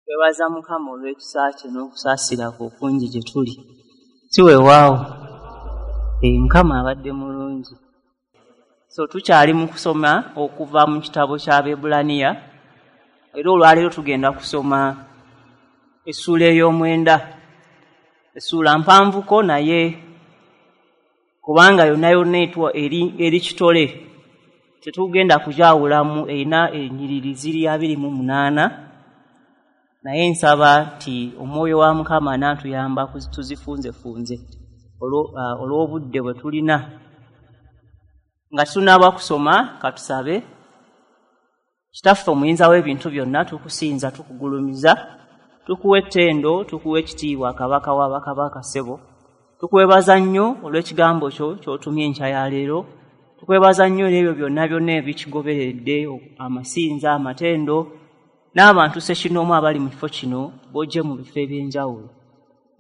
Twebaza Mukama olw'ekisa kye n'okusaasira kwe okungi gye tuli. Si weewaawo, Mukama abadde mulungi. So tukyali mu kusoma okuva mu kitabo ky'Abaebbulaniya, era olwaleero tugenda kusoma essuula ey'omwenda. Essuula mpanvuko naye kubanga yonna yonna etwa eri kitole, tetugenda kugyawulamu, erina ennyiriri ziri 28. Naye nsaba nti omwoyo wa Mukama anaatuyamba tuzifunzefunze olw'obudde bwe tulina. Nga tunaaba kusoma, katusabe. Kitaffe omuyinza w'ebintu byonna, tukusinza, tukugulumiza, tukuwa ettendo, tukuwa ekitiibwa, Kabaka wa bakabaka ssebo. Tukwebaza nnyo olw'ekigambo kyo ky'otumye enkya ya leero. Tukwebaza nnyo n'ebyo byonna byonna ebikigoberedde, amasinza, amatendo, n'abantu ssekinnoomu abali mu kifo kino b'ojje mu bifo eby'enjawulo.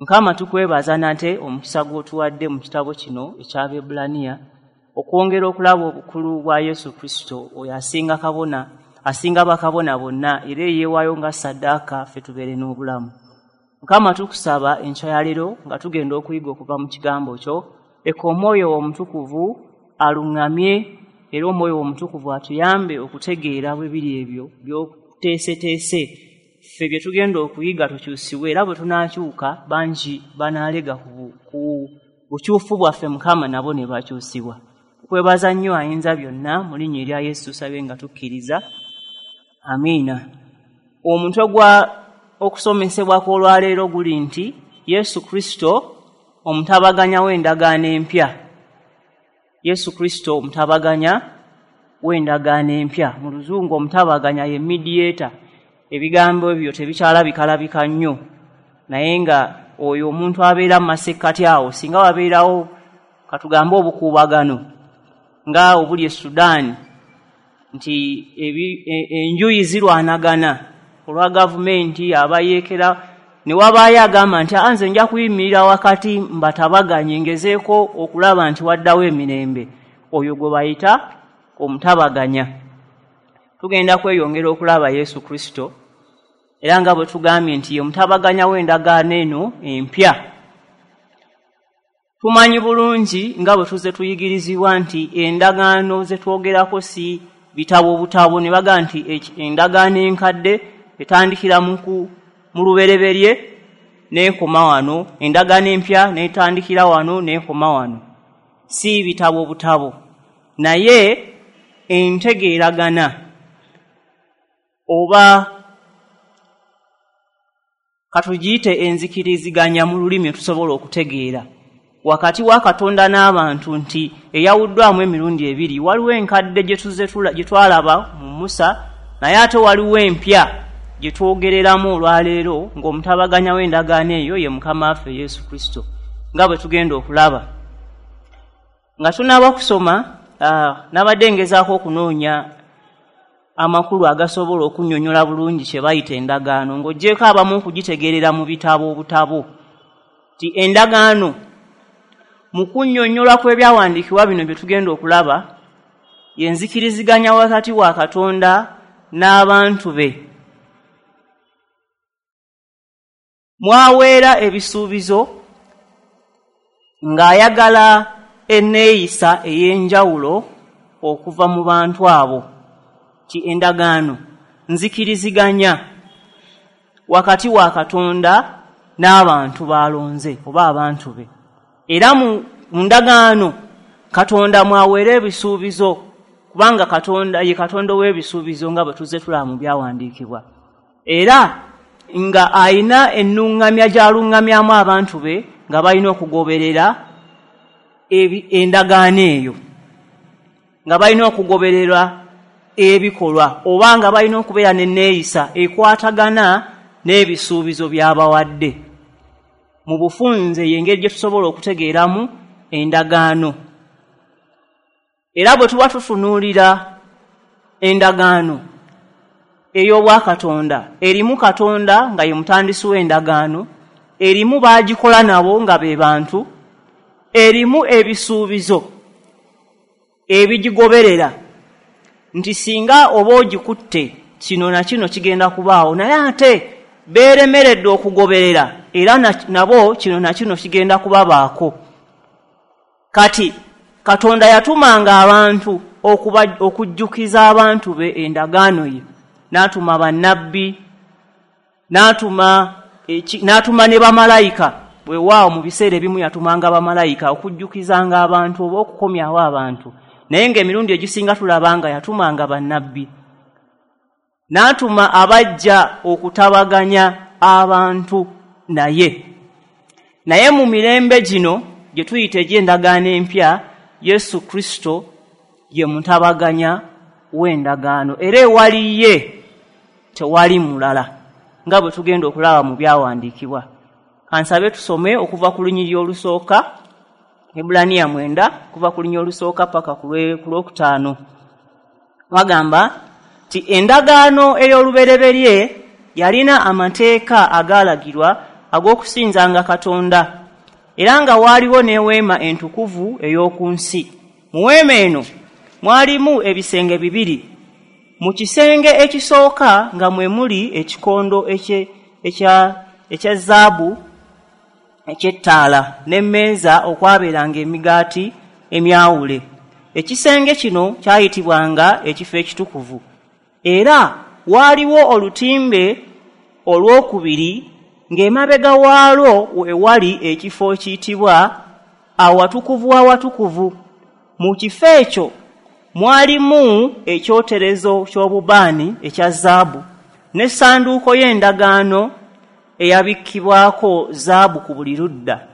Mukama, tukwebaza nate omukisa gw'otuwadde mu kitabo kino eky'Abaebbulaniya okwongera okulaba obukulu bwa Yesu Kristo, oyo asinga kabona, asinga bakabona bonna, era eyeewaayo nga ssaddaaka ffe tubeere n'obulamu. Mukama, tukusaba enkya ya leero nga tugenda okuyiga okuva mu kigambo kyo, leka Omwoyo Omutukuvu aluŋŋamye, era Omwoyo Omutukuvu atuyambe okutegeera bwe biri ebyo by'okuteeseteese ffe bye tugenda okuyiga tukyusibwe, era bwe tunaakyuka bangi banaalega ku bukyufu bwaffe, Mukama, nabo ne bakyusibwa. Tukwebaza nnyo ayinza byonna, mu linnya erya Yesu tusabe nga tukkiriza, amiina. Omutwe gwa okusomesebwa kw'olwaleero guli nti Yesu Kristo omutabaganya w'endagaano empya. Yesu Kristo omutabaganya w'endagaano empya. Mu Luzungu omutabaganya ye mediator. Ebigambo ebyo tebikyalabikalabika nnyo, naye nga oyo omuntu abeera mu masekkati awo, singa wabeerawo katugambe obukuubagano nga obuli e Sudan, nti enjuyi zirwanagana olwa gavumenti abayeekera, ne wabaayo agamba nti nze nja kuyimirira wakati mbatabaganye ngezeeko okulaba nti waddawo emirembe, oyo gwe bayita omutabaganya. Tugenda kweyongera okulaba Yesu Kristo, era nga bwe tugambye nti ye mutabaganya w'endagaano eno empya. Tumanyi bulungi nga bwe tuzze tuyigirizibwa nti endagaano ze twogerako si bitabo butabo, ne bagamba nti endagaano enkadde etandikira mu lubereberye n'ekoma wano, endagaano empya n'etandikira wano n'ekoma wano. Si bitabo butabo, naye entegeeragana oba katugiyite enzikiriziganya mu lulimi tusobola okutegeera wakati wa Katonda n'abantu, nti eyawuddwamu emirundi ebiri. Waliwo enkadde gye twalaba mu Musa, naye ate waliwo empya gye twogereramu olwaleero ng'omutabaganya w'endagaano eyo ye Mukama waffe Yesu Kristo, nga bwe tugenda okulaba. Nga tunaaba kusoma, nabadde ngezaako okunoonya amakulu agasobola okunnyonnyola bulungi kye bayita endagaano, ng'oggyeko abamu okugitegeerera mu bitabo obutabo, nti endagaano mu kunnyonnyola kw'ebyawandiikibwa bino bye tugenda okulaba yenzikiriziganya wakati wa Katonda n'abantu be. Mwaweera ebisuubizo ng'ayagala enneeyisa ey'enjawulo okuva mu bantu abo. Ti endagaano nzikiriziganya wakati wa Katonda n'abantu b'alonze oba abantu be. Era mu ndagaano Katonda mwaweera ebisuubizo, kubanga Katonda ye Katonda ow'ebisuubizo nga bwe tuzze tulaba mu byawandiikibwa, era nga ayina ennuŋŋamya gy'aluŋŋamyamu abantu be nga balina okugoberera endagaano eyo, nga balina okugoberera ebikolwa, oba nga balina okubeera n'enneeyisa ekwatagana n'ebisuubizo by'abawadde. Mu bufunze y'engeri gye tusobola okutegeeramu endagaano. Era bwe tuba tutunuulira endagaano ey'obwakatonda, erimu Katonda nga ye mutandisi w'endagaano, erimu baagikola nabo nga be bantu, erimu ebisuubizo ebigigoberera nti singa oba ogikutte kino na kino kigenda kubaawo, naye ate beeremeredde okugoberera, era nabo kino na kino kigenda kubabaako. Kati Katonda yatumanga abantu okujjukiza abantu be endagaano ye, n'atuma bannabbi, n'atuma ne bamalayika. Weewaawo mu biseera ebimu yatumanga bamalayika okujjukizanga abantu oba okukomyawo abantu, naye ng'emirundi egisinga tulaba nga yatumanga bannabbi. N'atuma abajja okutabaganya abantu naye. Naye mu mirembe gino gye tuyita egy'endagaano empya, Yesu Kristo ye mutabaganya w'endagaano, era ewali ye tewali mulala, nga bwe tugenda okulaba mu byawandiikibwa. Kansabe tusome okuva ku lunyiriri olusooka, Ebbulaniya 9, kuva ku lunyiriri olusooka paka ku lwokutaano. Bagamba nti endagaano ey'olubereberye yalina amateeka agaalagirwa ag'okusinzanga Katonda, era nga waaliwo n'eweema entukuvu ey'oku nsi. Mu weema eno mwalimu ebisenge bibiri. Mu kisenge ekisooka nga mwe muli ekikondo ekya zaabu eky'ettaala n'emmeeza okwabeeranga emigaati emyawule. Ekisenge kino kyayitibwanga ekifo ekitukuvu. Era waaliwo olutimbe olwokubiri ng'emabega waalwo we wali ekifo ekiyitibwa awatukuvu awatukuvu. Mu kifo ekyo mwalimu ekyoterezo ky'obubaani ekya zaabu n'essanduuko y'endagaano eyabikkibwako zaabu ku buli ludda.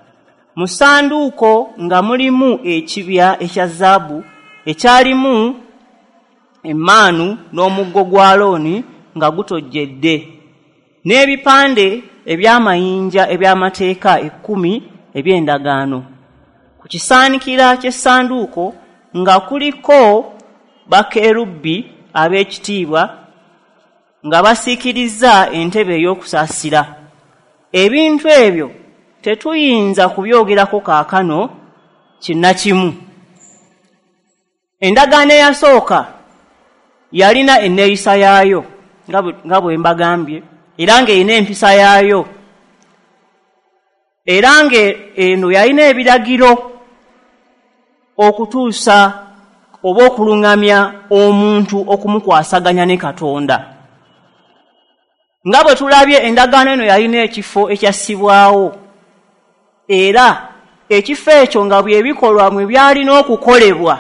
Mu ssanduuko nga mulimu ekibya ekya zaabu ekyalimu emmaanu n'omuggo gwa Alooni nga gutojjedde, n'ebipande eby'amayinja eby'amateeka 10 eby'endagaano. Ku kisaanikira ky'essanduuko nga kuliko bakerubi ab'ekitiibwa nga basiikirizza entebe ey'okusaasira. Ebintu ebyo tetuyinza kubyogerako kaakano kinnakimu. Endagaano eyasooka yalina enneeyisa yaayo nga bwe mbagambye, era ng'erina empisa yaayo, era ng'eno yalina ebiragiro okutuusa oba okuluŋŋamya omuntu okumukwasaganya ne Katonda. Nga bwe tulabye, endagaano eno yalina ekifo ekyassibwawo, era ekifo ekyo nga bye bikolwa mwe byalina okukolebwa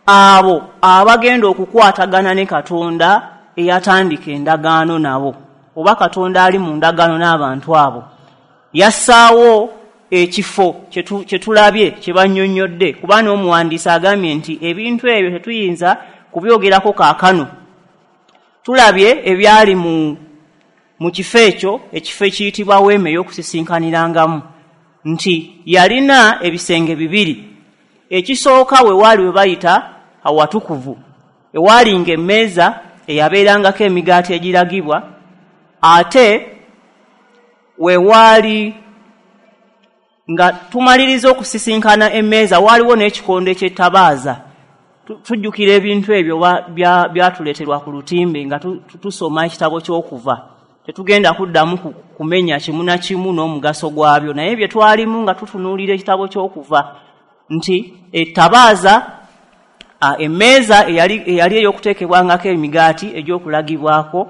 abo abagenda okukwatagana ne Katonda eyatandika endagaano nabo, oba Katonda ali mu ndagaano n'abantu abo. Yassaawo ekifo kye tulabye kye bannyonnyodde, kuba n'omuwandiisi agambye nti ebintu ebyo tetuyinza kubyogerako kaakano. Tulabye ebyali mu kifo ekyo, ekifo ekiyitibwa weema ey'okusisinkanirangamu, nti yalina ebisenge bibiri. Ekisooka we waali we bayita awatukuvu, ewaalinga emmeeza eyabeerangako emigaati egiragibwa, ate we waali nga tumaliriza okusisinkana emmeeza waaliwo n'ekikondo eky'ettabaaza. Tujjukira ebintu ebyo byatuleeterwa ku lutimbe nga tusoma ekitabo ky'okuva. Tetugenda kuddamu kumenya kimu na kimu n'omugaso gwabyo, naye bye twalimu nga tutunuulira ekitabo ky'okuva nti ettabaaza, emmeeza eyali ey'okuteekebwangako emigaati egy'okulagibwako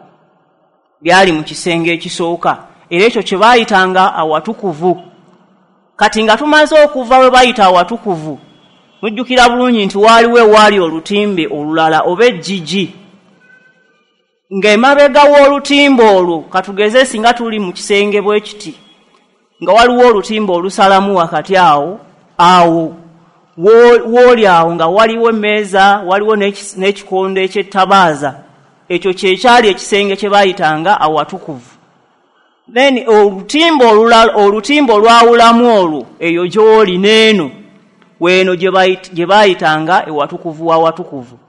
byali mu kisenge ekisooka, era ekyo kye baayitanga awatukuvu. Kati nga tumaze okuva we bayita awatukuvu, mujjukira bulungi nti waaliwo ewaali olutimbe olulala oba ejjigi, ng'emabega w'olutimbe olwo, katugeze singa tuli mu kisenge bwe kiti, nga waliwo olutimbe olusalamu wakati awo, awo wooli awo nga waliwo emmeeza, waliwo n'ekikondo eky'ettabaaza. Ekyo kye kyali ekisenge kye baayitanga awatukuvu. Then olutimbe olulala, olutimbe olwawulamu olwo, eyo gy'oli n'eno weeno gye baayitanga ewatukuvu w'awatukuvu.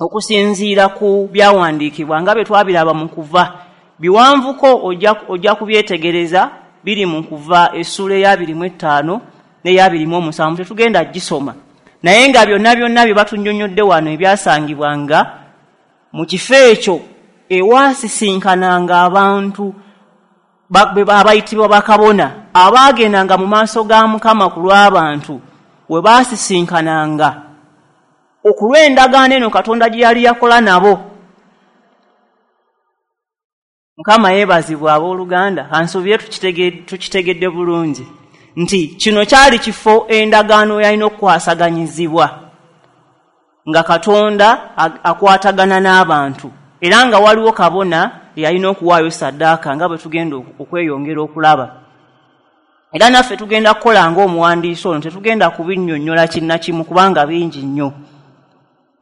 Okusinziira ku byawandiikibwa nga bwe twabiraba mu kuva, biwanvuko ojja kubyetegereza, biri mu kuva essuula eya 25 n'eya 27, tetugenda gisoma. Naye nga byonna byonna bye batunnyonnyodde wano ebyasangibwanga mu kifo ekyo ewaasisinkananga abantu abayitibwa bakabona abaagendanga mu maaso ga Mukama ku lw'abantu we baasisinkananga okulw'endagaano eno Katonda gye yali yakola nabo. Mukama yeebazibwa abooluganda, kansuubire tukitegedde bulungi nti kino kyali kifo endagaano yalina okukwasaganyizibwa nga Katonda akwatagana n'abantu, era nga waliwo kabona yalina okuwaayo saddaaka nga bwe tugenda okweyongera okulaba. Era naffe tugenda kukola ng'omuwandiisi ono, tetugenda kubinnyonnyola kinnakimu kubanga bingi nnyo.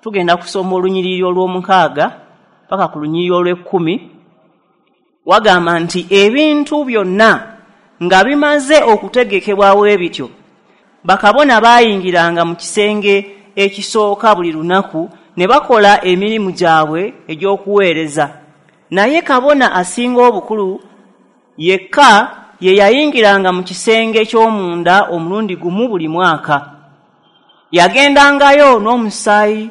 Tugenda kusoma olunyiriri olw'omukaaga paka ku lunyiriri olw'ekkumi. Wagamba nti ebintu byonna nga bimaze okutegekebwa bwe bityo, bakabona baayingiranga mu kisenge ekisooka buli lunaku ne bakola emirimu gyabwe egy'okuweereza. Naye kabona asinga obukulu yekka ye yayingiranga mu kisenge ky'omunda omulundi gumu buli mwaka. Yagendangayo n'omusaayi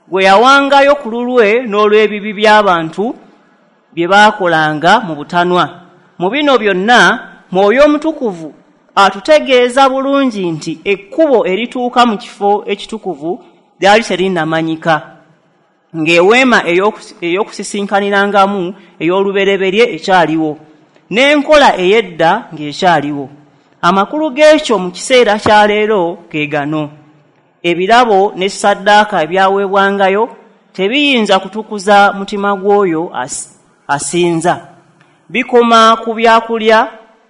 gwe yawangayo ku lulwe n'olw'ebibi by'abantu bye baakolanga mu butanwa. Mu bino byonna Mwoyo Omutukuvu atutegeeza bulungi nti ekkubo erituuka mu kifo ekitukuvu lyali terinnamanyika, ng'eweema ey'okusisinkanirangamu ey'olubereberye ekyaliwo, n'enkola ey'edda ng'ekyaliwo. Amakulu g'ekyo mu kiseera kya leero ge gano: ebirabo ne ssaddaaka ebyaweebwangayo tebiyinza kutukuza mutima gw'oyo asinza. Bikoma ku byakulya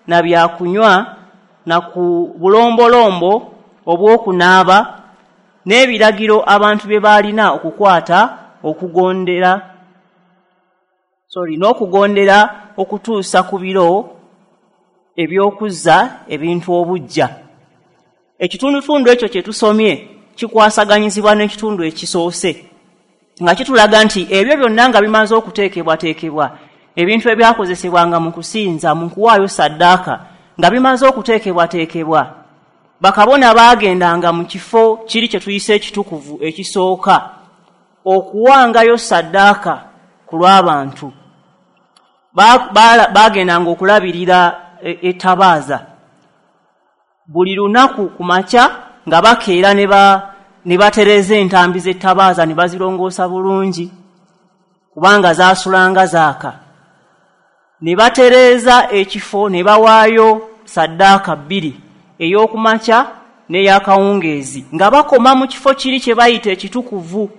na byakunywa na ku bulombolombo obw'okunaaba n'ebiragiro abantu bye baalina okukwata n'okugondera okutuusa ku biro eby'okuzza ebintu obuggya. Ekitundutundu ekyo kye tusomye kikwasaganyizibwa n'ekitundu ekisoose, nga kitulaga nti ebyo byonna nga bimaze okuteekebwateekebwa, ebintu ebyakozesebwanga mu kusinza, mu kuwaayo saddaaka, nga bimaze okuteekebwateekebwa, bakabona baagendanga mu kifo kiri kye tuyise ekitukuvu ekisooka okuwangayo saddaaka ku lw'abantu. Baagendanga okulabirira ettabaaza buli lunaku ku makya, nga bakeera ne batereeza entambi z'ettabaaza ne bazirongoosa bulungi kubanga zaasulanga zaaka. Ne batereeza ekifo ne bawaayo saddaaka bbiri, ey'okumakya n'ey'akawungeezi, nga bakoma mu kifo kiri kye bayita ekitukuvu,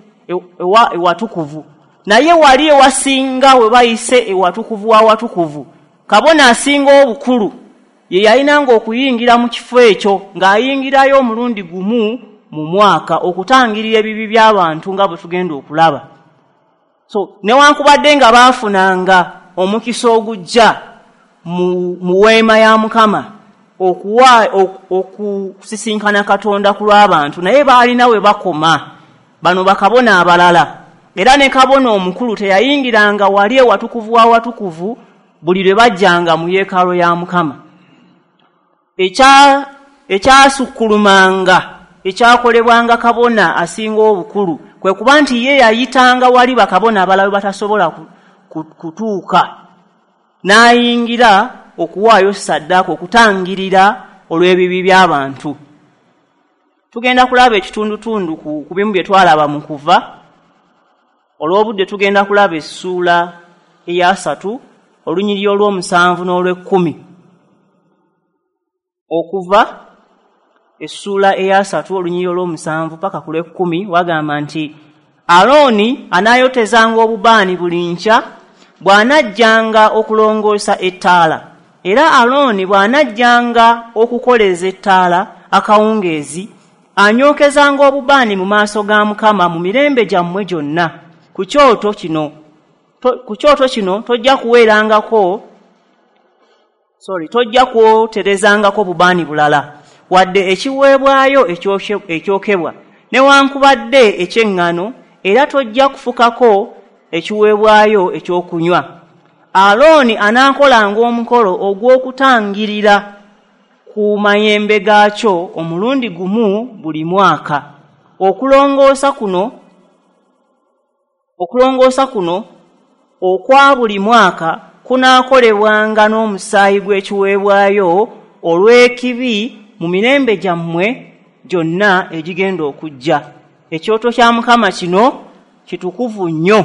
ewatukuvu. Naye wali ewasinga we bayise ewatukuvu w'awatukuvu, kabona asinga obukulu ye yalinanga okuyingira mu kifo ekyo, ng'ayingirayo omulundi gumu mu mwaka okutangirira ebibi by'abantu nga bwe tugenda okulaba. So newankubadde nga baafunanga omukisa ogujja mu weema ya Mukama okusisinkana Katonda ku lw'abantu, naye baalina we bakoma bano bakabona abalala. Era ne kabona omukulu teyayingiranga wali ewatukuvu w'awatukuvu buli lwe bajjanga mu yeekaalu ya Mukama. Ekyasukkulumanga ekyakolebwanga kabona asinga obukulu kwe kuba nti ye yayitanga wali bakabona abalala batasobola kutuuka, n'ayingira okuwaayo saddaaka okutangirira olw'ebibi by'abantu. Tugenda kulaba ekitundutundu ku bimu bye twalaba mu kuva. Olw'obudde tugenda kulaba essuula eyasatu, olunyiriri olw'omusanvu n'olw'ekkumi. Okuva essuula eyasatu olunyiriri olw'omusanvu paka ku lw'ekkumi wagamba nti Alooni anaayotezanga obubaani buli nkya bw'anajjanga okulongoosa ettaala, era Alooni bw'anajjanga okukoleeza ettaala akawungeezi, anyookezanga obubaani mu maaso ga Mukama mu mirembe gyammwe gyonna. Ku kyoto kino tojja kuweerangako, tojja kwoterezangako bubaani bulala, wadde ekiweebwayo ekyokebwa newankubadde eky'eŋŋano, era tojja kufukako ekiweebwayo ekyokunywa. Alooni anaakolanga omukolo ogw'okutangirira ku mayembe gaakyo omulundi gumu buli mwaka. Okulongoosa kuno okwa buli mwaka kunaakolebwanga n'omusaayi gw'ekiweebwayo olw'ekibi mu mirembe gyammwe gyonna egigenda okujja. Ekyoto kya Mukama kino kitukuvu nnyo.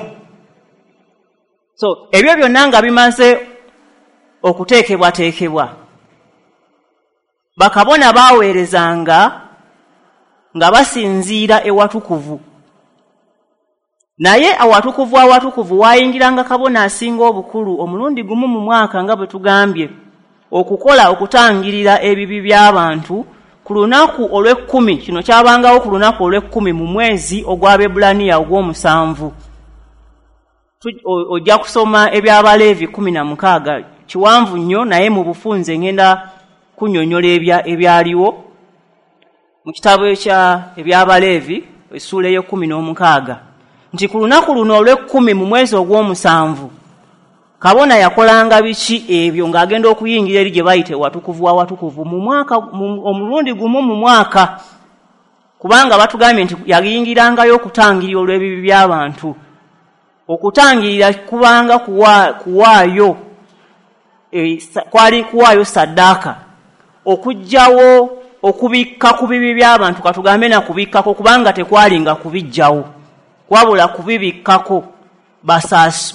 So ebyo byonna nga bimaze okuteekebwateekebwa, bakabona baaweerezanga nga basinziira ewatukuvu. Naye awatukuvu awatukuvu waayingiranga kabona asinga obukulu omulundi gumu mu mwaka, nga bwe tugambye, okukola okutangirira ebibi by'abantu ku lunaku olw'ekkumi. Kino kyabangawo ku lunaku olw'ekkumi mu mwezi ogw'Abaebbulaniya ogw'omusanvu. Ojja kusoma eby'Abaleevi 16, kiwanvu nnyo, naye mu bufunze ngenda kunnyonnyola ebyaliwo mu kitabo ekya eby'Abaleevi essuula ey'e16, nti ku lunaku luno olw'ekkumi mu mwezi ogw'omusanvu kabona yakolanga biki ebyo ng'agenda okuyingira eri gye bayita ewatukuvu awatukuvu mu mwaka, omulundi gumu mu mwaka, kubanga batugambye nti yayingirangayo okutangirira olw'ebibi by'abantu. Okutangirira kubanga kuwaayo kwali kuwaayo saddaaka okuggyawo okubikka ku bibi by'abantu, katugambe na kubikkako, kubanga tekwalinga kubiggyawo wabula kubibikkako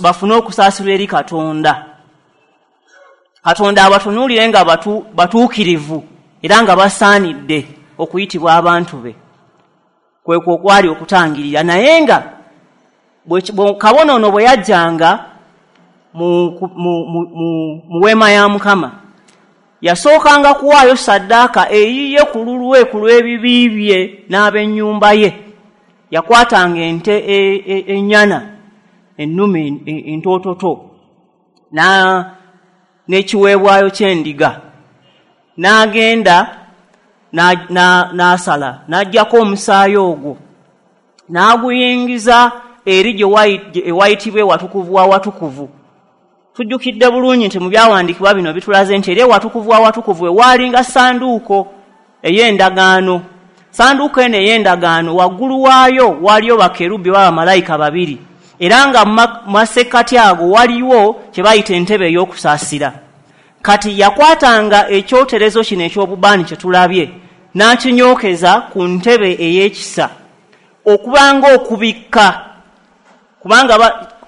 bafune okusaasirwa eri Katonda. Katonda abatunuulire nga batuukirivu era nga basaanidde okuyitibwa abantu be. Kwekwo okwali okutangirira. Naye nga kabona ono bwe yajjanga mu weema ya Mukama, yasookanga kuwaayo saddaaka eyiye ku lulwe ku lw'ebibi bye n'ab'ennyumba ye. Yakwatanga ente ennyana ennume entoototo n'ekiweebwayo ky'endiga, n'agenda n'asala n'aggyako omusaayi ogwo n'aguyingiza eri gye ewayitibwa ewatukuvu awatukuvu. Tujjukidde bulungi nti mu byawandiikibwa bino bitulaze nti eri ewatukuvu awatukuvu ewaalinga ssanduuko ey'endagaano. Ssanduuko eno ey'endagaano waggulu waayo waaliyo bakerubi oba bamalayika babiri, era nga mu masekkati ago waliwo kye bayita entebe ey'okusaasira. Kati yakwatanga ekyoterezo kino eky'obubaani kye tulabye n'akinyookeza ku ntebe ey'ekisa okubanga okubikka, kubanga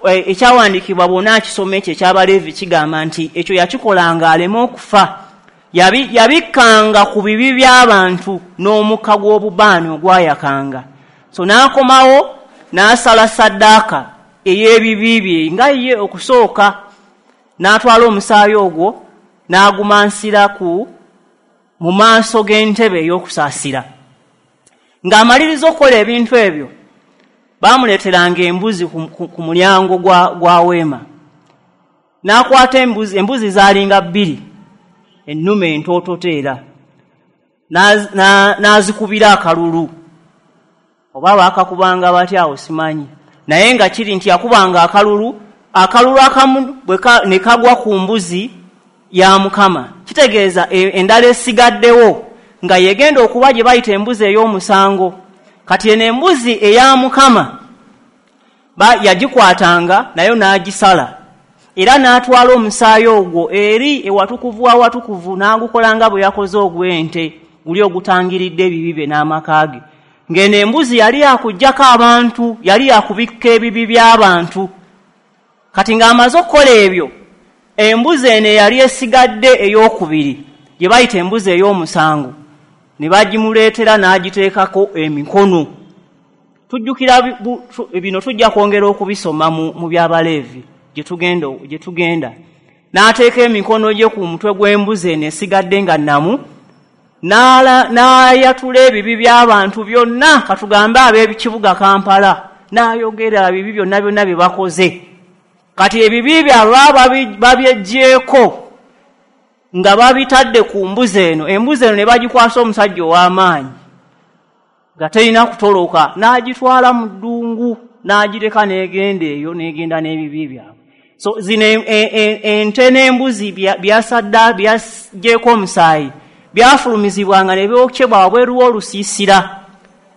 ekyawandiikibwa bw'onaakisoma ekyo eky'Abaleevi kigamba nti ekyo yakikolanga aleme okufa. Yabikkanga ku bibi by'abantu n'omukka gw'obubaani ogwayakanga. So n'akomawo n'asala saddaaka ey'ebibi bye nga ye okusooka, n'atwala omusaayi ogwo n'agumansira mu maaso g'entebe ey'okusaasira. Ng'amaliriza okukola ebintu ebyo, baamuleeteranga embuzi ku mulyango gwa weema. N'akwata embuzi zaalinga bbiri, ennume entoototo era n'azikubira akalulu, oba baakakubanga batya awo simanyi, naye nga kiri nti yakubanga akalulu akamu ne kagwa ku mbuzi ya Mukama. Kitegeeza endala esigaddewo nga yegenda okuba gye bayita embuzi ey'omusango. Kati eno embuzi eya Mukama yagikwatanga nayo n'agisala, era n'atwala omusaayi ogwo eri ewatukuvu awatukuvu n'agukola nga bwe yakoze ogw'ente guli ogutangiridde ebibi bye n'amaka ge. Ng'eno embuzi yali yakuggyako abantu, yali yakubikka ebibi by'abantu. Kati ng'amaze okukola ebyo, embuzi eno eyali esigadde ey'okubiri gye bayita embuzi ey'omusango ne bagimuleetera n'agiteekako emikono. Tujjukira bino, tujja kwongera okubisoma mu by'Abaleevi gye tugenda. N'ateeka emikono gye ku mutwe gw'embuzi eno esigadde nga nnamu, n'ayatula ebibi by'abantu byonna, katugambe ab'ekibuga Kampala, n'ayogera ebibi byonna byonna bye bakoze. Kati ebibi byabwe babyeggyeko nga babitadde ku mbuzi eno. Embuzi eno ne bagikwasa omusajja ow'amaanyi nga terina kutoloka, n'agitwala mu ddungu n'agireka n'egenda eyo, n'egenda n'ebibi byabwe. So zino ente n'embuzi byasadda byaggyeko omusaayi byafulumizibwanga ne byokyebwa wabweru w'olusiisira,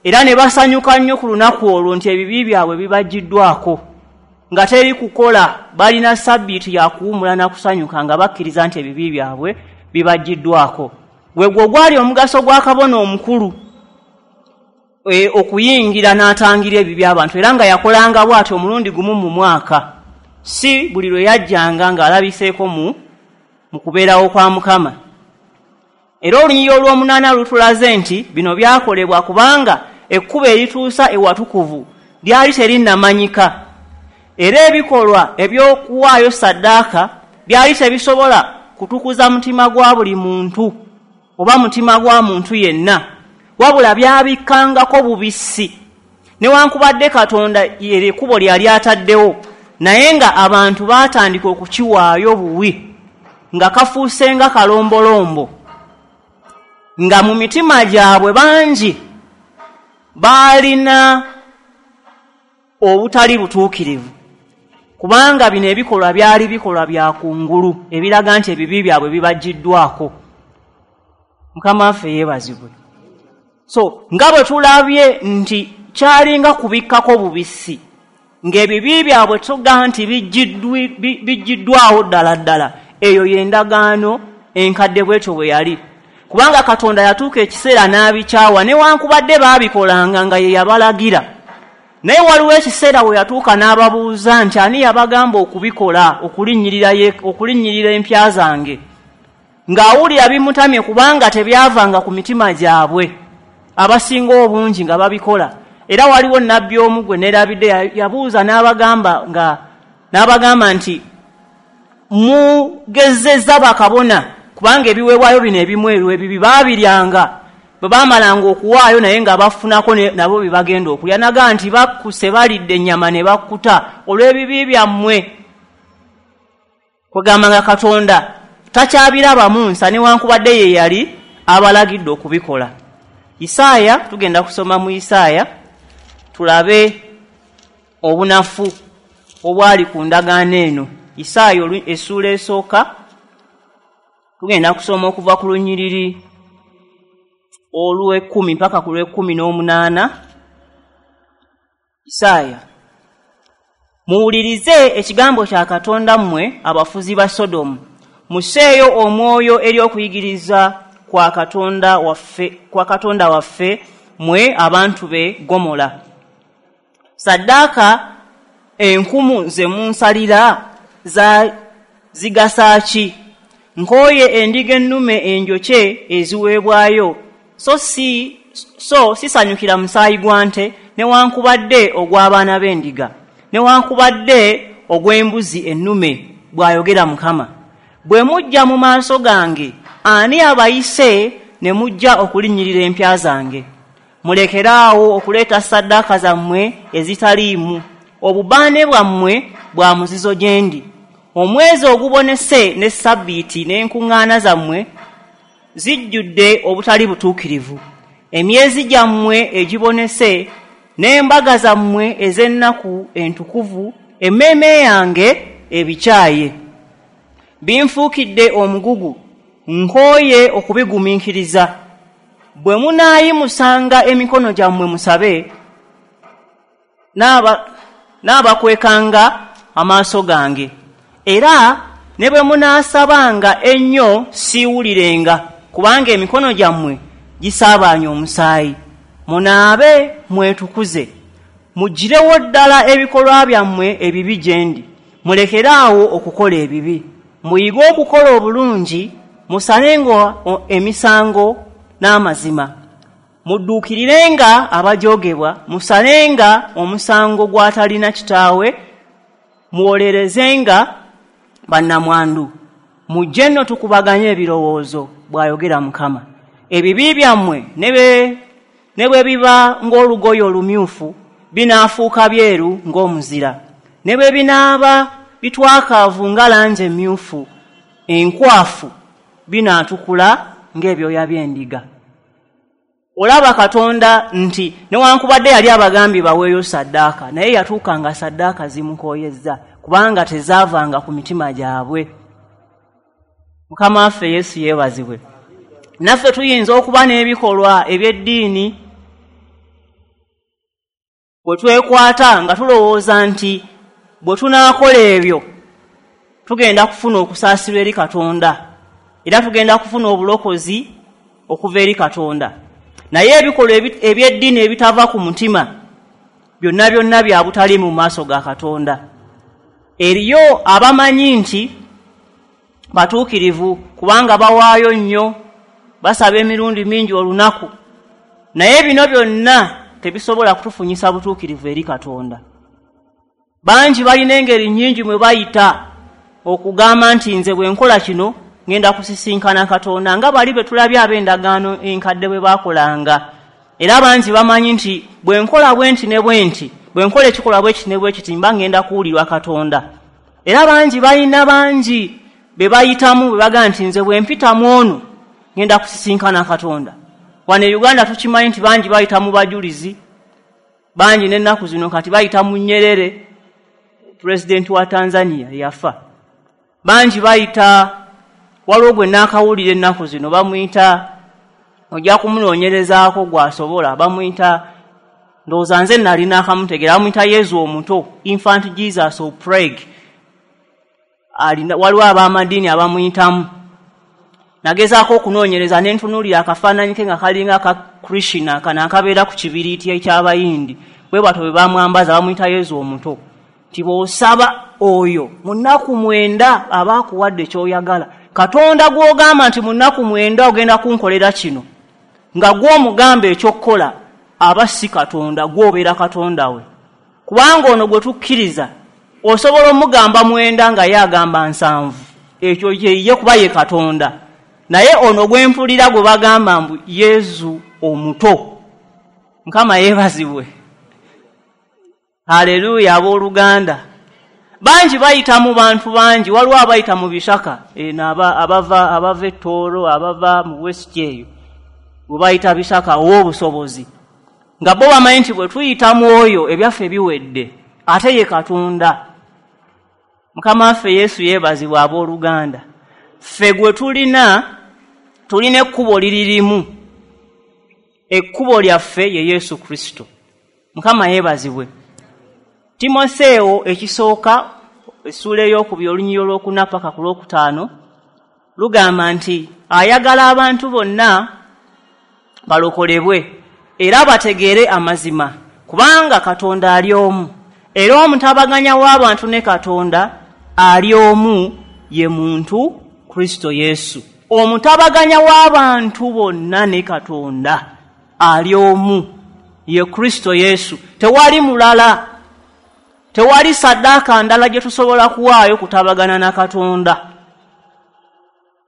era ne basanyuka nnyo ku lunaku olwo nti ebibi byabwe bibaggiddwako. nga teri kukola, balina sabbiiti ya kuwummula na kusanyuka nga bakkiriza nti ebibi byabwe bibaggiddwako. Gwe gwo gwali omugaso gwa kabona omukulu okuyingira n'atangira ebibi abantu, era nga yakolanga bw'atyo omulundi gumu mu mwaka, si buli lwe yajjanga ng'alabiseeko mu kubeerawo kwa Mukama. Era olunyiriri olw'omunaana lutulaze nti bino byakolebwa kubanga ekkubo erituusa ewatukuvu lyali terinnamanyika, era ebikolwa eby'okuwaayo ssaddaaka byali tebisobola kutukuza mutima gwa buli muntu oba mutima gwa muntu yenna, wabula byabikkangako bubisi. Newankubadde Katonda ekkubo lyali ataddewo, naye nga abantu baatandika okukiwaayo buwi, nga kafuuse nga kalombolombo, nga mu mitima gyabwe bangi baalina obutali butuukirivu, kubanga bino ebikolwa byali bikolwa bya kungulu ebiraga nti ebibi byabwe bibaggiddwako. Mukama waffe yeebazibwe. So nga bwe tulabye nti kyalinga kubikkako bubisi, ng'ebibi byabwe tuga nti biggiddwawo ddala ddala, eyo y'endagaano enkadde bwetyo bwe yali, kubanga Katonda yatuuka ekiseera n'abikyawa, newankubadde baabikolanga nga ye yabalagira. Naye waliwo ekiseera we yatuuka n'ababuuza nti ani yabagamba okubikola, okulinnyirira empya zange, ng'awulira bimutamye kubanga tebyavanga ku mitima gyabwe, abasinga obungi nga babikola. Era waliwo nabbi omu gwe neerabidde yabuuza n'abagamba nti mugezezza bakabona, kubanga ebiweebwayo bino ebimu ebibi baabiryanga bwe baamalanga okuwaayo, naye nga bafunako nabo bye bagenda okulya. Naga nti bakkuse balidde ennyama ne bakkuta olw'ebibi byammwe. Kwegamba nga Katonda takyabirabamu nsa, newankubadde ye yali abalagidde okubikola. Isaaya, tugenda kusoma mu Isaaya tulabe obunafu obwali ku ndagaano eno. Isaaya essuula esooka, tugenda kusoma okuva ku lunyiriri olw'ekumi mpaka ku lw'ekumi n'omunaana. Isaaya: muwulirize ekigambo kya Katonda mmwe abafuzi ba Sodomu, musseeyo omwoyo eri okuyigiriza kwa Katonda waffe mmwe abantu be Gomola. Saddaaka enkumu ze munsalira zigasa ki? Nkooye endiga ennume enjokye eziweebwayo, so sisanyukira musaayi gwa nte, newankubadde ogw'abaana b'endiga, newankubadde ogw'embuzi ennume, bw'ayogera Mukama. Bwe mujja mu maaso gange, ani abayise ne mujja okulinnyirira empya zange? Mulekeraawo okuleeta ssaddaaka zammwe ezitaliimu, obubaane bwammwe bwa muzizo gye ndi. Omwezi ogubonese ne sabbiiti n'enkuŋŋaana zammwe zijjudde obutali butuukirivu. Emyezi gyammwe egibonese n'embaga zammwe ez'ennaku entukuvu, emmeeme yange ebikyaye. Binfuukidde omugugu, nkooye okubigumiikiriza. Bwe munaayimusanga emikono gyammwe musabe, n'abakwekanga amaaso gange. Era ne bwe munaasabanga ennyo siiwulirenga, kubanga emikono gyammwe gisaabaanye omusaayi. Munaabe mwetukuze, muggirewo ddala ebikolwa byammwe ebibi gye ndi, mulekeraawo okukola ebibi, muyige okukola obulungi, musalenga emisango n'amazima, mudduukirirenga abajoogebwa, musalenga omusango gw'atalina kitaawe, muwolerezenga bannamwandu. Mujje nno tukubaganye ebirowoozo, bw'ayogera Mukama. Ebibi byammwe ne bwe biba ng'olugoye olumyufu, binaafuuka byeru ng'omuzira, ne bwe binaaba bitwakaavu nga langi emyufu enkwafu, binaatukula ng'ebyoya by'endiga. Olaba Katonda nti newankubadde yali abagambye baweeyo ssaddaaka, naye yatuuka nga ssaddaaka zimukooyezza, kubanga tezaavanga ku mitima gyabwe. Mukama waffe Yesu yeebazibwe. Naffe tuyinza okuba n'ebikolwa eby'eddiini bwe twekwata nga tulowooza nti Bwe tunaakola ebyo, tugenda kufuna okusaasirwa eri Katonda, era tugenda kufuna obulokozi okuva eri Katonda. Naye ebikolwa eby'eddiini ebitava ku mutima byonna byonna bya butali mu maaso ga Katonda. Eriyo abamanyi nti batuukirivu kubanga bawaayo nnyo, basaba emirundi mingi olunaku, naye bino byonna tebisobola kutufunyisa butuukirivu eri Katonda. Bangi balina engeri nnyingi mwe bayita okugamba nti nze bwe nkola kino ngenda kusisinkana Katonda, nga bali be tulabye ab'endagaano enkadde bwe baakolanga. Era bangi bamanyi nti bwe nkola bwe nti ne bwe nti, bwe nkola ekikolwa bwe kiti ne bwe kiti, mba ngenda kuwulirwa Katonda. Era bangi balina bangi be bayitamu bwe bagamba nti nze bwe mpitamu ono ngenda kusisinkana Katonda. Wano e Uganda tukimanyi nti bangi bayita mu bajulizi, bangi n'ennaku zino kati bayita mu Nyerere, pulezidenti wa Tanzania yafa. Bangi bayita, waliwo gwe naakawulira ennaku zino bamuyita, ojja kumunoonyerezaako gw'asobola, bamuyita, ndowooza nze nali naakamutegeera, bamuyita Yezu omuto, Infant Jesus of Prague. Waliwo ab'amadiini abamuyitamu. Nagezaako okunoonyereza ne ntunuulira akafaananyi ke nga kalinga aka Krishna, kano akabeera ku kibiriiti eky'Abayindi. Bwe batyo bwe bamwambaza, bamuyita Yezu omuto. Nti bw'osaba oyo mu nnaku 9 aba akuwadde ky'oyagala. Katonda gw'ogamba nti mu nnaku 9 ogenda kunkolera kino, nga gw'omugamba eky'okukola, aba si Katonda, gw'obeera Katonda we. Kubanga ono gwe tukkiriza, osobola omugamba 9 nga ye agamba 7. Ekyo ye kuba ye Katonda. Naye ono gwe mpulira gwe bagamba mbu Yezu omuto. Mukama yeebazibwe. Haleluya abooluganda. Bangi bayita mu bantu bangi, waliwo abayita mu bisaka, eno abava e Tooro, abava mu West eyo, bwe bayita bisaka ow'obusobozi. Nga bo bamanyi nti bwe tuyita mu oyo ebyaffe biwedde, ate ye Katonda. Mukama waffe Yesu yeebazibwe abooluganda. Ffe gwe tulina, tulina ekkubo liririmu. Ekkubo lyaffe ye Yesu Kristo. Mukama yeebazibwe. Timoseewo ekisooka essuula 2 olunyiriri olwokuna paka ku lwokutaano lugamba nti ayagala abantu bonna balokolebwe era bategeere amazima, kubanga Katonda ali omu, era omutabaganya w'abantu ne Katonda ali omu, ye muntu Kristo Yesu. Omutabaganya w'abantu bonna ne Katonda ali omu, ye Kristo Yesu. Tewali mulala, tewali saddaaka ndala gye tusobola kuwaayo kutabagana na Katonda.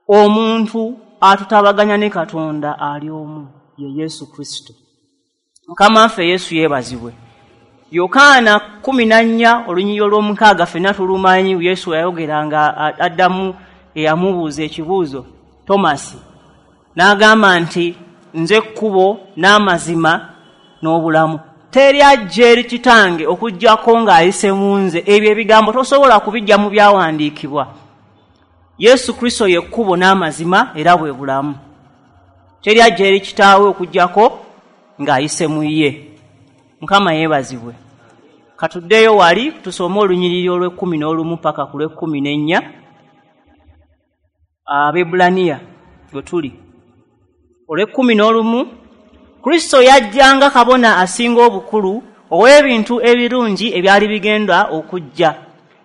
Omuntu atutabaganya ne Katonda ali omu, ye Yesu Kristo. Mukama waffe Yesu yeebazibwe. Yokaana 14 olunyiriri olw'omukaaga ffenna tulumanyi. Yesu yayogera nga addamu eyamubuuza ekibuuzo Tomasi, n'agamba nti nze kkubo n'amazima n'obulamu, teri ajja eri Kitange okuggyako ng'ayise mu nze. Ebyo ebigambo tosobola kubijja mu byawandiikibwa. Yesu Kristo ye kkubo n'amazima era bwe bulamu. Teri ajja eri Kitaawe okuggyako ng'ayise mu ye. Mukama yeebazibwe. Katuddeyo wali tusome olunyiriri olw'e11 paka ku lw'e14, Abaebbulaniya gwe tuli. Olw'e11, Kristo yajja nga kabona asinga obukulu ow'ebintu ebirungi ebyali bigenda okujja.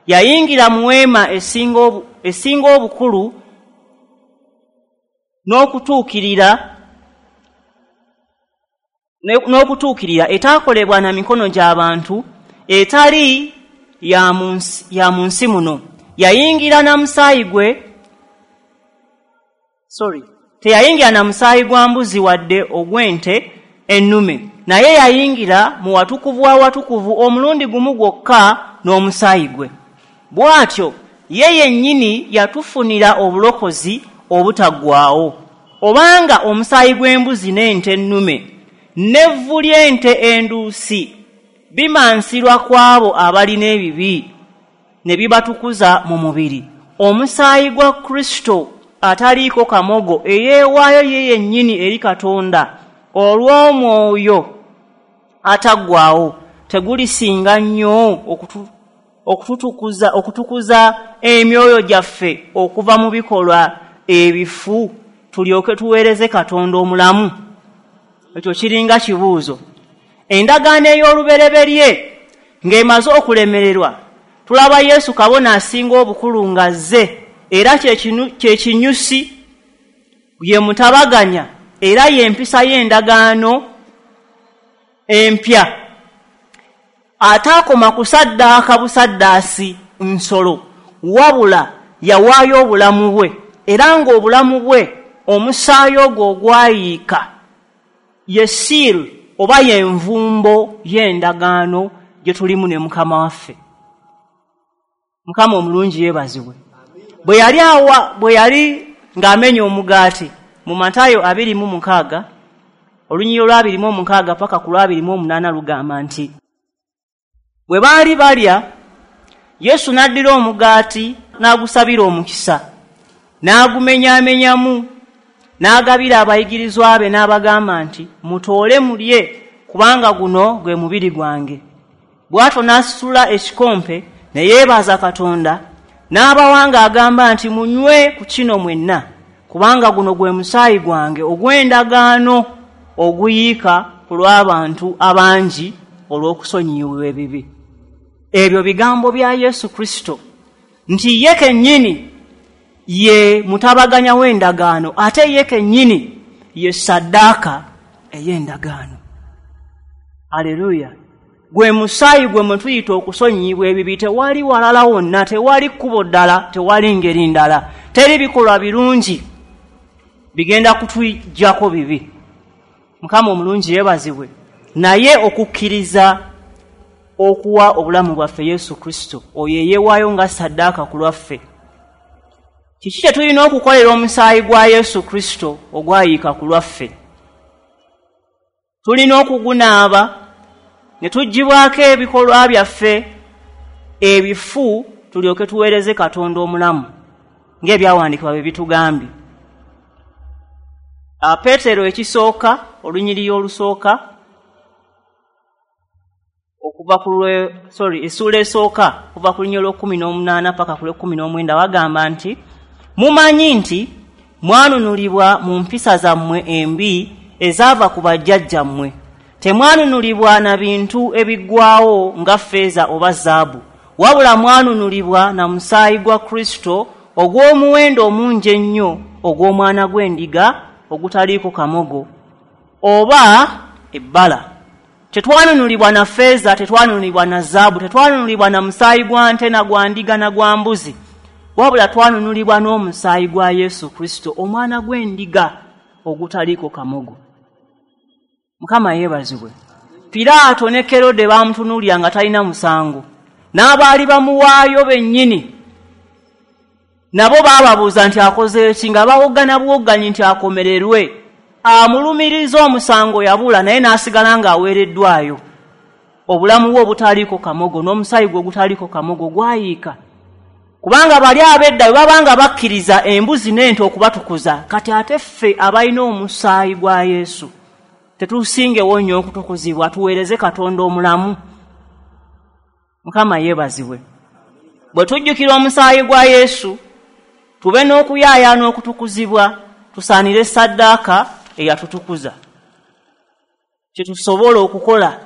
Yayingira mu weema esinga obukulu n'okutuukirira etaakolebwa na mikono gy'abantu, etali ya mu nsi muno. Yayingira na musaayi gwe, sorry, teyayingira na musaayi gwa mbuzi wadde ogw'ente ennume, naye yayingira mu watukuvu wa watukuvu omulundi gumu gwokka n'omusaayi gwe. Bw'atyo ye yennyini yatufunira obulokozi obutaggwaawo. Obanga omusaayi gw'embuzi n'ente ennume n'evvu ly'ente enduusi bimansirwa ku abo abalina ebibi ne bibatukuza mu mubiri, omusaayi gwa Kristo ataliiko kamogo eyeewaayo ye yennyini eri Katonda olw'omwoyo ataggwaawo tegulisinga nnyo okutukuza emyoyo gyaffe okuva mu bikolwa ebifu tulyoke tuweereze Katonda omulamu? Ekyo kiringa kibuuzo. Endagaano ey'olubereberye ng'emaze okulemererwa, tulaba Yesu kabona asinga obukulu ng'azze, era kye kinyusi, ye mutabaganya, era y'empisa y'endagaano empya. Ataakoma kusaddaaka busaddaasi nsolo, wabula yawaayo obulamu bwe, era ng'obulamu bwe omusaayi ogwo ogwayiika ye seal oba y'envumbo y'endagaano gye tulimu ne Mukama waffe. Mukama omulungi yeebazibwe. Bwe yali ng'amenya omugaati mu Matayo 26 olunyiriri olwa 26 paka ku lwa 28 lugamba nti bwe baali balya, Yesu n'addira omugaati n'agusabira omukisa, n'agumenyaamenyamu, n'agabira abayigirizwa be n'abagamba nti mutoole mulye, kubanga guno gwe mubiri gwange. Bw'atyo n'asitula ekikompe ne yeebaza Katonda, n'abawa ng'agamba nti munywe ku kino mwenna, kubanga guno gwe musaayi gwange ogw'endagaano oguyiika ku lw'abantu abangi olw'okusonyiyibwa ebibi. Ebyo bigambo bya Yesu Kristo nti ye kennyini ye mutabaganya w'endagaano, ate ye kennyini ye saddaaka ey'endagaano. Aleluya! Gwe musaayi gwe mwe tuyita okusonyiyibwa ebibi. Tewali walala wonna, tewali kkubo ddala, tewali ngeri ndala, teri bikolwa birungi bigenda kutujjako bibi. Mukama omulungi yeebazibwe. Naye okukkiriza okuwa obulamu bwaffe Yesu Kristo, oyo eyeewaayo nga saddaaka ku lwaffe. Kiki kye tulina okukolera omusaayi gwa Yesu Kristo ogwayiika ku lwaffe? Tulina okugunaaba ne tuggyibwako ebikolwa byaffe ebifu, tulyoke tuweereze Katonda omulamu ng'ebyawandiikibwa bwe bitugambye. Peetero ekisooka, olunyiriri olusooka okuva ku essuula esooka okuva ku lunyiriri olw'18 paka ku lw'19 wagamba nti mumanyi nti mwanunulibwa mu mpisa zammwe embi ezaava ku bajjajjammwe, temwanunulibwa na bintu ebiggwawo nga ffeeza oba zaabu, wabula mwanunulibwa na musaayi gwa Kristo ogw'omuwendo omungi ennyo ogw'omwana gw'endiga ogutaliiko kamogo oba ebbala. Tetwanunulibwa na ffeeza, tetwanunulibwa na zaabu, tetwanunulibwa na musaayi gwa nte na gwa ndiga na gwa mbuzi, wabula twanunulibwa n'omusaayi gwa Yesu Kristo omwana gw'endiga ogutaliiko kamogo. Mukama yeebazibwe. Piraato ne Kerode baamutunuulira nga talina musango, n'abaali bamuwaayo bennyini nabo baababuuza nti akoze ki, nga bawoggana buwogganyi nti akomererwe. Amulumiriza omusango yabula, naye n'asigala ng'aweereddwayo. Obulamu bwe obutaliiko kamogo n'omusaayi gwe ogutaliiko kamogo gwayiika. Kubanga bali ab'edda bwe babanga bakkiriza embuzi n'ente okubatukuza, kati ate ffe abalina omusaayi gwa Yesu tetusingewo nnyo okutukuzibwa, tuweereze Katonda omulamu. Mukama yeebazibwe. Bwe tujjukira omusaayi gwa Yesu, tube n'okuyaayaana okutukuzibwa, tusaanire saddaaka eyatutukuza. Kye tusobola okukola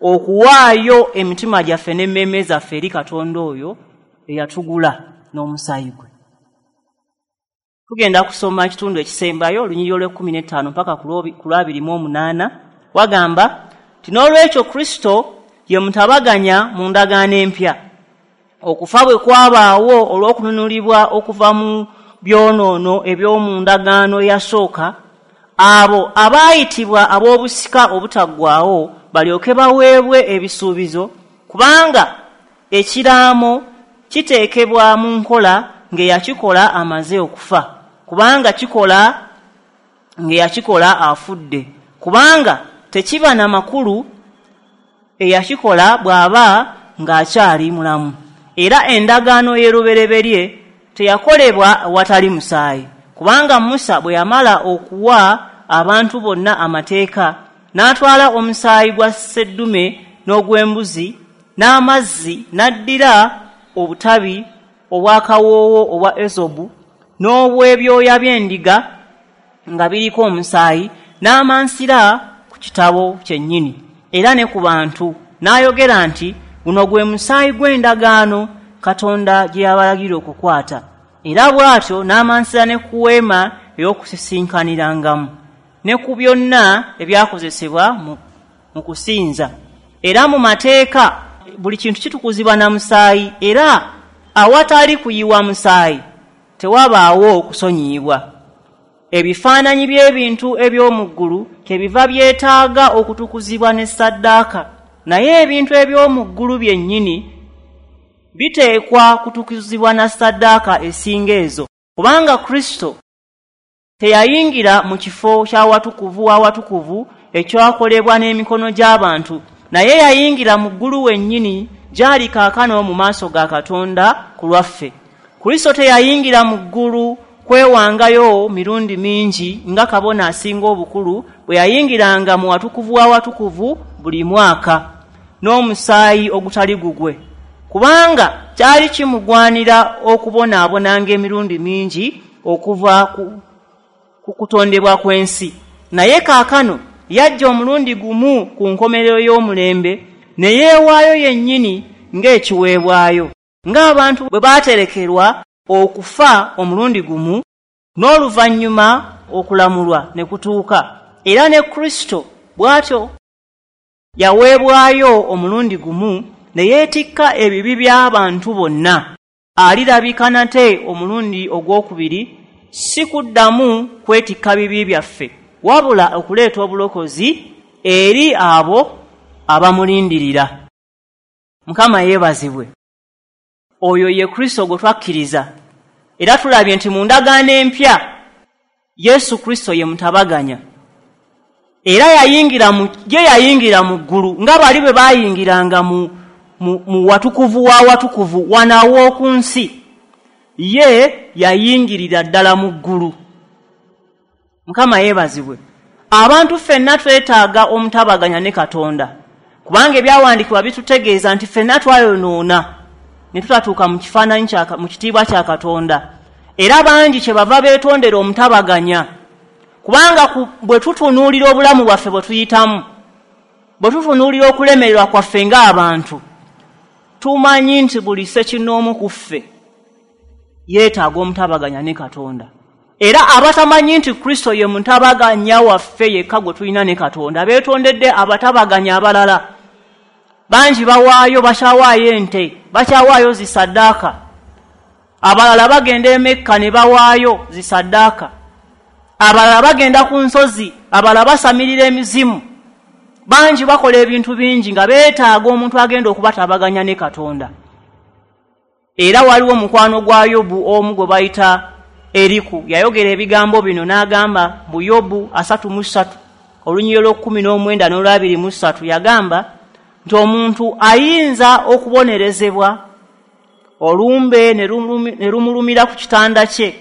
okuwaayo emitima gyaffe n'emmeeme zaffe eri Katonda oyo eyatugula n'omusaayi gwe. Tugenda kusoma ekitundu ekisembayo, olunyiriri olw'e15 mpaka ku lwa28, wagamba nti n'olwekyo Kristo ye mutabaganya mu ndagaano empya. Okufa bwe kwabaawo olw'okununulibwa okuva mu byonoono eby'omu ndagaano eyasooka, abo abaayitibwa ab'obusika obutaggwaawo balyoke baweebwe ebisuubizo, kubanga ekiraamo kiteekebwa mu nkola ng'eyakikola amaze okufa, kubanga kikola ng'eyakikola afudde, kubanga tekiba na makulu eyakikola bw'aba ng'akyali mulamu. Era endagaano y'erubereberye teyakolebwa watali musaayi, kubanga Musa bwe yamala okuwa abantu bonna amateeka, n'atwala omusaayi gwa sseddume n'ogw'embuzi n'amazzi, n'addira obutabi obw'akawoowo obwa ezobu n'obw'ebyoya by'endiga nga biriko omusaayi, n'amansira ku kitabo kyennyini era ne ku bantu, n'ayogera nti, guno gwe musaayi gw'endagaano Katonda gye yabalagira okukwata. Era bw'atyo n'amansira ne ku weema ey'okusisinkanirangamu ne ku byonna ebyakozesebwa mu kusinza. Era mu mateeka buli kintu kitukuzibwa na musaayi, era awatali kuyiwa musaayi tewabaawo kusonyiyibwa. Ebifaananyi by'ebintu eby'omu ggulu kyebiva byetaaga okutukuzibwa ne ssaddaaka, naye ebintu eby'omu ggulu byennyini biteekwa kutukuzibwa na ssaddaaka esinga ezo, kubanga Kristo teyayingira mu kifo ky'awatukuvu w'awatukuvu ekyakolebwa n'emikono gy'abantu, naye yayingira mu ggulu wennyini gy'ali kaakano mu maaso ga Katonda ku lwaffe. Kristo teyayingira mu ggulu kwewangayo mirundi mingi nga kabona asinga obukulu bwe yayingiranga mu watukuvu w'awatukuvu buli mwaka n'omusaayi ogutali gugwe, kubanga kyali kimugwanira okubonaabonanga emirundi mingi okuva ku kutondebwa kw'ensi. Naye kaakano yajja omulundi gumu ku nkomerero y'omulembe ne yeewaayo yennyini ng'ekiweebwayo, ng'abantu bwe baaterekerwa okufa omulundi gumu n'oluvannyuma okulamulwa ne kutuuka. Era ne Kristo bw'atyo yaweebwayo omulundi gumu ne yeetikka ebibi by'abantu bonna. Alirabika nate omulundi ogwokubiri, si kuddamu kwetikka bibi byaffe, wabula okuleeta obulokozi eri abo abamulindirira. Mukama yeebazibwe. Oyo ye Kristo gwe twakkiriza. Era tulabye nti mu ndagaano empya Yesu Kristo ye mutabaganya, era yayingira mu ggulu nga bali bwe baayingiranga mu watukuvu wa watukuvu wano aw'oku nsi. Ye yayingirira ddala mu ggulu. Mukama yeebazibwe. Abantu ffenna twetaaga omutabaganya ne Katonda, kubanga ebyawandiikibwa bitutegeeza nti ffenna twayonoona ne tutatuuka mu kifaananyi mu kitiibwa kya Katonda. Era bangi kye bava beetondera omutabaganya, kubanga bwe tutunuulira obulamu bwaffe bwe tuyitamu, bwe tutunuulira okulemererwa kwaffe ng'abantu, tumanyi nti buli ssekinnoomu ku ffe yeetaaga omutabaganya ne Katonda. Era abatamanyi nti Kristo ye mutabaganya waffe yekka gwe tulina ne Katonda beetondedde abatabaganya abalala. Bangi bawaayo, bakyawaayo ente, bakyawaayo zisaddaaka. Abalala bagenda e Mekka ne bawaayo zisaddaaka. Abalala bagenda ku nsozi, abalala basamirira emizimu. Bangi bakola ebintu bingi nga beetaaga omuntu agenda okubatabaganya ne Katonda. Era waliwo mukwano gwa Yobu omu gwe bayita Eriku, yayogera ebigambo bino n'agamba mu Yobu 33 olunyiriri lw'okunena n'olw'abairi mu 3, yagamba nti omuntu ayinza okubonerezebwa olumbe ne lumulumira ku kitanda kye,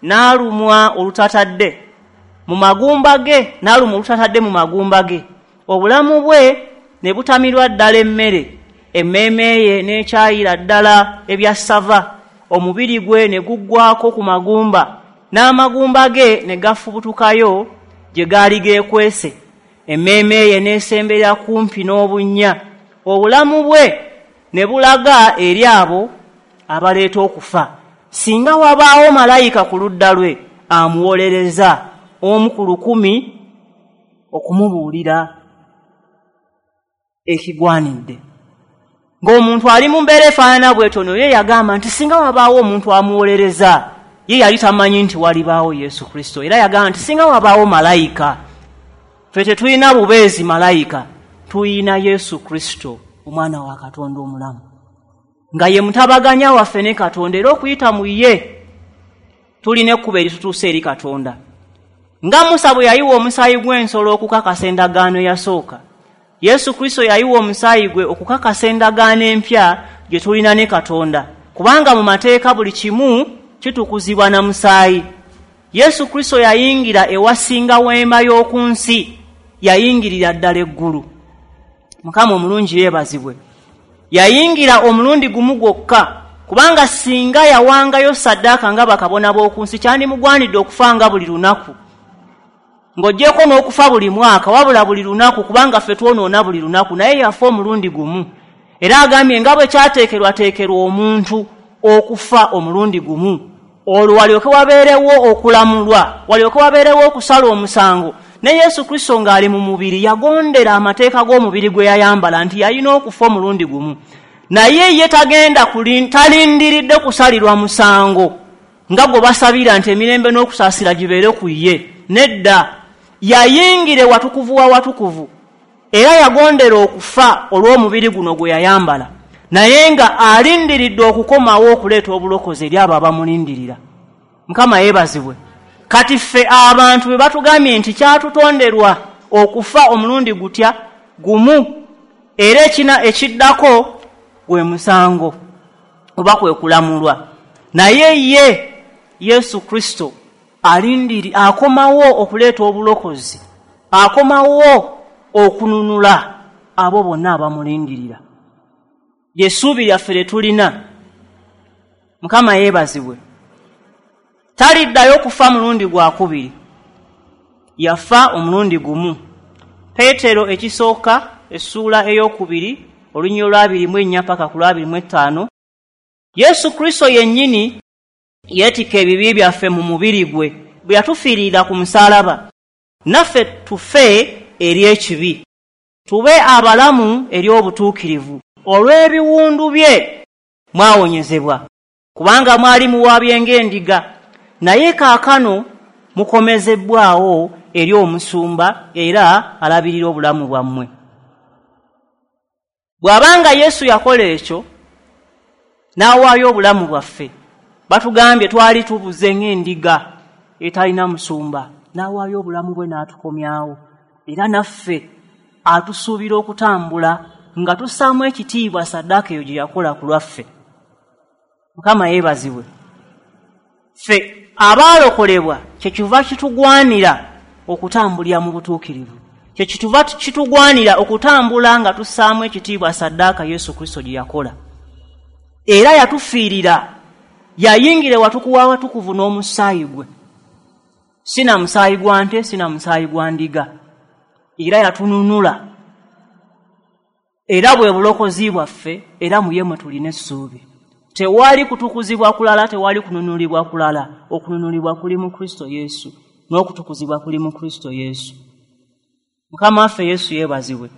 n'alumwa olutatadde mu magumba ge, n'alumwa olutatadde mu magumba ge, obulamu bwe ne butamirwa ddala emmere, emmeeme ye n'ekyayira ddala ebyassava, omubiri gwe ne guggwako ku magumba, n'amagumba ge ne gafubutukayo gye gaali geekwese, emmeeme ye n'esembera kumpi n'obunnya, obulamu bwe ne bulaga eri abo abaleeta okufa. Singa wabaawo malayika ku ludda lwe amuwolereza 1 ku 1,000 okumubuulira ekigwanidde. Ng'omuntu ali mu mbeera efaanana bw'etyo, naye yagamba nti singa wabaawo omuntu amuwolereza, ye yali tamanyi nti walibaawo Yesu Kristo. Era yagamba nti singa wabaawo malayika, ffe tetulina bubeezi malayika, tulina Yesu Kristo omwana wa Katonda omulamu, nga ye mutabaganya waffe ne Katonda. Era okuyita mu ye tulina ekkubo eritutuusa eri Katonda. Nga Musa bwe yayiwa omusaayi gw'ensolo okukakasa endagaano eyasooka, Yesu Kristo yayiwa omusaayi gwe okukakasa endagaano empya gye tulina ne Katonda, kubanga mu mateeka buli kimu kitukuzibwa na musaayi. Yesu Kristo yayingira ewasinga weema y'oku nsi, yayingirira ddala eggulu. Mukama omulungi yeebazibwe. Yayingira omulundi gumu gwokka, kubanga singa yawangayo saddaaka nga bakabona b'oku nsi, kyandimugwanidde okufa nga buli lunaku, ng'oggyeko n'okufa buli mwaka, wabula buli lunaku, kubanga ffe twonoona buli lunaku. Naye yafa omulundi gumu, era agambye nga bwe kyateekerwateekerwa omuntu okufa omulundi gumu, olwo walyoke wabeerewo okulamulwa, walyoke wabeerewo okusala omusango. Ne Yesu Kristo ng'ali mu mubiri yagondera amateeka g'omubiri gwe yayambala nti yalina okufa omulundi gumu. Naye ye tagenda talindiridde kusalirwa musango nga gwe basabira nti emirembe n'okusaasira gibeere ku ye. Nedda, yayingira ewatukuvu wa watukuvu, era yagondera okufa olw'omubiri guno gwe yayambala, naye nga alindiridde okukomawo okuleeta obulokozi eri abo abamulindirira. Mukama yeebazibwe. Kati ffe abantu bwe batugambye nti kyatutonderwa okufa omulundi gutya? Gumu, era ekina ekiddako gwe musango oba kwe kulamulwa. Naye ye Yesu Kristo alindiri, akomawo okuleeta obulokozi, akomawo okununula abo bonna abamulindirira. Ly'essuubi lyaffe lye tulina. Mukama yeebazibwe. Taliddayo kufa mulundi gwakubiri, yafa omulundi gumu. Peetero ekisooka essuula 2 olunyiriri lwa 24 paka ku lwa 25, Yesu Kristo yennyini yeetikka ebibi byaffe mu mubiri gwe bwe yatufiirira ku musaalaba, naffe tufe eri ekibi, tube abalamu eri obutuukirivu. Olw'ebiwundu bye mwawonyezebwa, kubanga mwali muwabye ng'endiga, naye kaakano mukomezebbwawo eri omusumba era alabirira obulamu bwammwe. Bw'abanga Yesu yakola ekyo n'awaayo obulamu bwaffe, batugambye twali tubuze ng'endiga etalina musumba, n'awaayo obulamu bwe n'atukomyawo. Era naffe atusuubira okutambula nga tussaamu ekitiibwa saddaaka eyo gye yakola ku lwaffe. Mukama yeebazibwe. Ffe abaalokolebwa kyekiva kitugwanira okutambulira mu butuukirivu, kyekiva kitugwanira okutambula nga tussaamu ekitiibwa saddaaka Yesu Kristo gye yakola. Era yatufiirira, yayingira ewatukuvu w'awatukuvu n'omusaayi gwe, si na musaayi gwa nte, si na musaayi gwa ndiga, era yatununula. Era bwe bulokozi bwaffe, era mu ye mwe tulina essuubi. Tewali kutukuzibwa kulala, tewali kununulibwa kulala. Okununulibwa kuli mu Kristo Yesu, n'okutukuzibwa kuli mu Kristo Yesu. Mukama waffe Yesu yeebazibwe.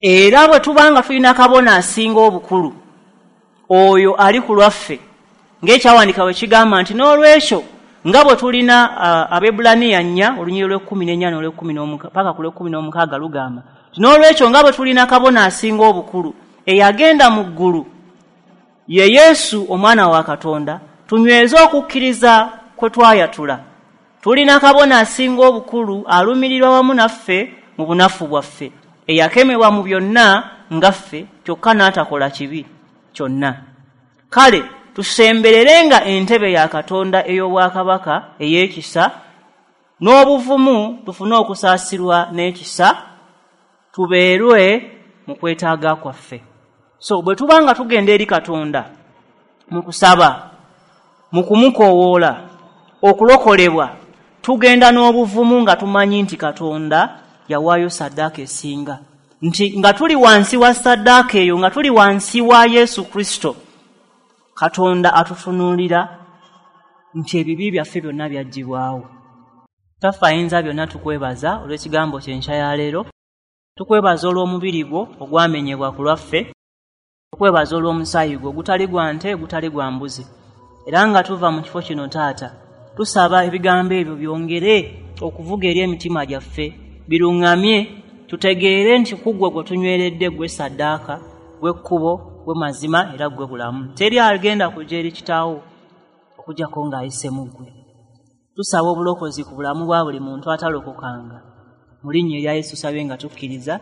Era bwe tuba nga tulina kabona asinga obukulu, oyo ali ku lwaffe, ng'ekyawandiikibwa bwe kigamba nti n'olwekyo nga bwe tulina Abaebbulaniya 4 olunyiriri lw'e14 n'olw'16 paka ku lw'16 lugamba nti n'olwekyo nga bwe tulina kabona asinga obukulu eyagenda mu ggulu, ye Yesu omwana wa Katonda, tunyweze okukkiriza kwe twayatula. Tulina kabona asinga obukulu alumirirwa wamu naffe mu bunafu bwaffe, eyakemebwa mu byonna nga ffe, kyokka n'atakola kibi kyonna. Kale tusembererenga entebe ya Katonda ey'obwakabaka ey'ekisa n'obuvumu, tufune okusaasirwa n'ekisa, tubeerwe mu kwetaaga kwaffe. So bwe tuba nga tugenda eri Katonda mu kusaba, mu kumukoowoola okulokolebwa, tugenda n'obuvumu nga tumanyi nti Katonda yawaayo saddaaka esinga, nti nga tuli wansi wa saddaaka eyo, nga tuli wansi wa Yesu Kristo, Katonda atutunuulira nti ebibi byaffe byonna byaggyibwawo. Kitaffe ayinza byonna, tukwebaza olw'ekigambo kye nkya ya leero. Tukwebaza olw'omubiri gwo ogwamenyebwa ku lwaffe, tukwebaza olw'omusaayi gwo ogutali gwa nte, gutali gwa mbuzi. Era nga tuva mu kifo kino Taata, tusaba ebigambo ebyo byongere okuvuga eri emitima gyaffe, biruŋŋamye, tutegeere nti ku ggwe gwe tunyweredde, ggwe saddaaka, ggwe kkubo, ggwe mazima, era ggwe bulamu. Teri agenda kujja eri Kitaawo okuggyako ng'ayise mu ggwe. Tusaba obulokozi ku bulamu bwa buli muntu atalokokanga. Mu linnya erya Yesu tusabye nga tukkiriza.